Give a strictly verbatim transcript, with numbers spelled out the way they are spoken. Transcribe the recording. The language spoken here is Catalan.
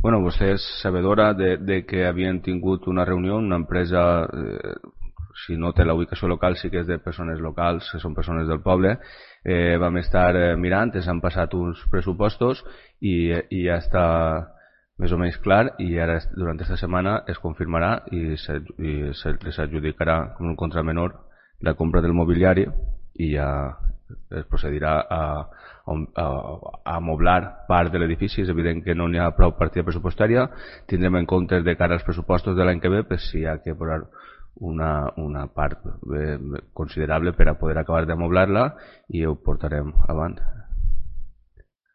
Bueno, vostè és sabedora de, de que havien tingut una reunió, una empresa, eh, si no té la ubicació local, sí que és de persones locals, que són persones del poble. Eh, vam estar eh, mirant, ens han passat uns pressupostos i, i ja està més o menys clar, i ara durant aquesta setmana es confirmarà i s'adjudicarà com un contramenor la compra del mobiliari i ja es procedirà a, a, a amoblar part de l'edifici. És evident que no n'hi ha prou partida pressupostària, tindrem en compte de cara als pressupostos de l'any que ve pues, si hi ha que posar una, una part eh, considerable per a poder acabar d'amoblar-la i ho portarem avant.